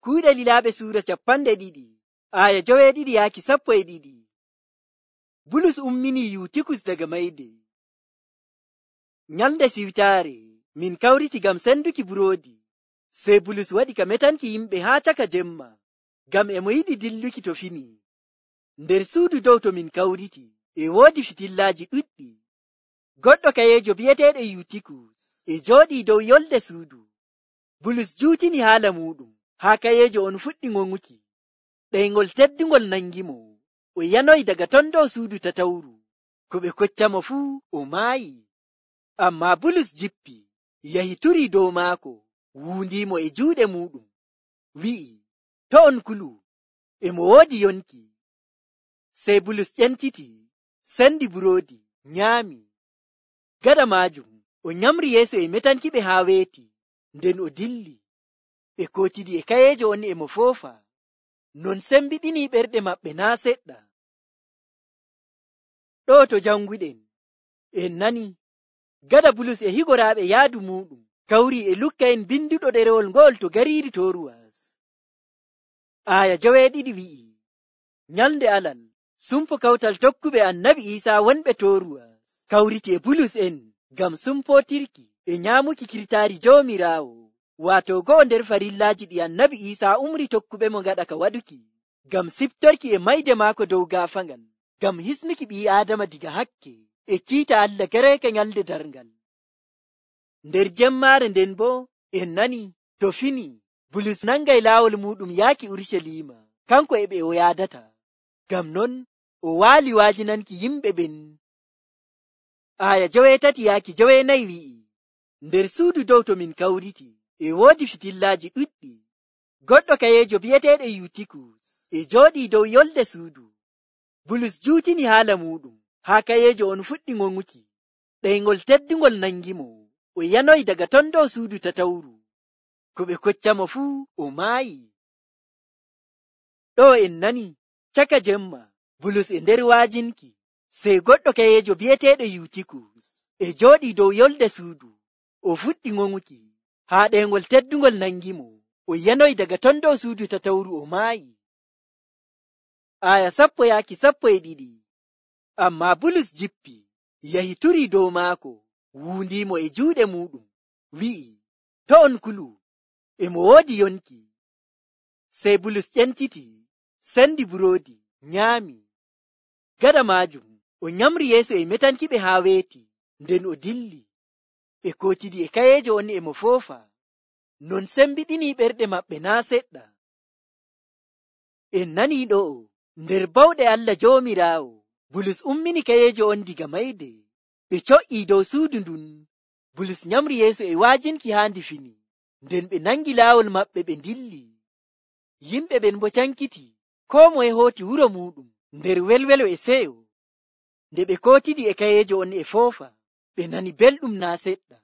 Kuuɗe Lilaaɓe suura 2, aya 9-12. Bulus umminii Yuutikus daga mayde. Nyalnde siwtaare min kawriti ngam senduki buroodi. Sey Bulus waɗi ka metanki yimɓe haa caka jemma, ngam e mo yiɗi dilluki to fini. Nder suudu dow to min kawriti e woodi fitillaaji ɗuɗɗi. Goɗɗo kayeejo bi'eteeɗo Yuutikus e jooɗii dow yolde suudu. Bulus juutini haala muuɗum haa kayeejo on fuɗɗi ŋoŋuki. Ɗeyngol teddungol nangimo. O yanoyi daga ton dow suudu tatawru. Ko ɓe koccamo fuu o maayi. Ammaa Bulus jippi, yahi turii dow maako, wuundiimo e juuɗe muuɗum, wi'i, to on kulu, e mo woodi yonki. Sey Bulus ƴentiti, sendi buroodi, nyaami. Gaɗa maajum, o nyamri yeeso e metankiɓe haa weeti, nden o dilli. Ɓe kootidi e kayeejo on e mo foofa, non sembiɗinii ɓerɗe maɓɓe naa seɗɗa. Ɗo to janguɗen, en nani, gaɗa Bulus e higoraaɓe yaadu muuɗum kawrii e Lukka en binduɗo ɗerewol ngo'ol to gariiri Toruwas. Aya 12 wi'i, nyalnde Alal, sumpo kawtal tokkuɓe Annabi Iisaa wonɓe Toruwas kawriti e Bulus en ngam sumpootirki e nyaamuki kirtaari Joomiraawo, waato go'o nder farillaaji ɗi Annabi Iisaa umri tokkuɓemo gaɗa ka waɗuki, ngam siftorki e mayde maako dow gaafaangal, ngam hisnuki ɓii Aadama diga hakke e kiita Allah gareeke nyalnde darngal. Nder jemmaare nden boo en nani to fini Bulus nangay laawol muuɗum yaaki Urucaliima, kanko e ɓe o yaadata. Ngam non o waali waajinanki yimɓe ɓen. Aya 13-14 wi'i, nder suudu dow to min kawriti e woodi fitillaaji ɗuɗɗi. Goɗɗo kayeejo bi'eteeɗo Yuutikus e jooɗii dow yolde suudu. Bulus juutini haala muuɗum haa kayeejo on fuɗɗi ŋoŋuki. Ɗeyngol teddungol nangimo. O yanoyi daga ton dow suudu tatawru. Ko ɓe koccamo fuu o maayi. Ɗo en nani, caka jemma, Bulus e nder waajinki, sey goɗɗo kayeejo bi'eteeɗo Yuutikus e jooɗii dow yolde suudu. O fuɗɗi ŋoŋuki, haa ɗeyngol teddungol nangimo. O yanoyi daga ton dow suudu tatawru o maayi. Aya 10-12. Ammaa Bulus jippi, yahi turii dow maako, wuundiimo e juuɗe muuɗum, wi'i, to on kulu, e mo woodi yonki. Sey Bulus ƴentiti, sendi buroodi, nyaami. Gaɗa maajum, o nyamri yeeso e metankiɓe haa weeti, nden o dilli. Ɓe kootidi e kayeejo on e mo foofa, non sembiɗinii ɓerɗe maɓɓe naa seɗɗa. En nanii ɗo'o, nder bawɗe Allah Joomiraawo, Bulus ummini kayeejo on diga mayde. Ɓe co'ii dow suudu ndun. Bulus nyamri yeeso e waajinki haa ndi fini, nden ɓe nangi laawol maɓɓe ɓe ndilli. Yimɓe ɓen bo cankiti, koo moye hooti wuro muuɗum nder welwelo e seyo. Nde ɓe kootidi e kayeejo on e foofa, ɓe nani belɗum naa seɗɗa.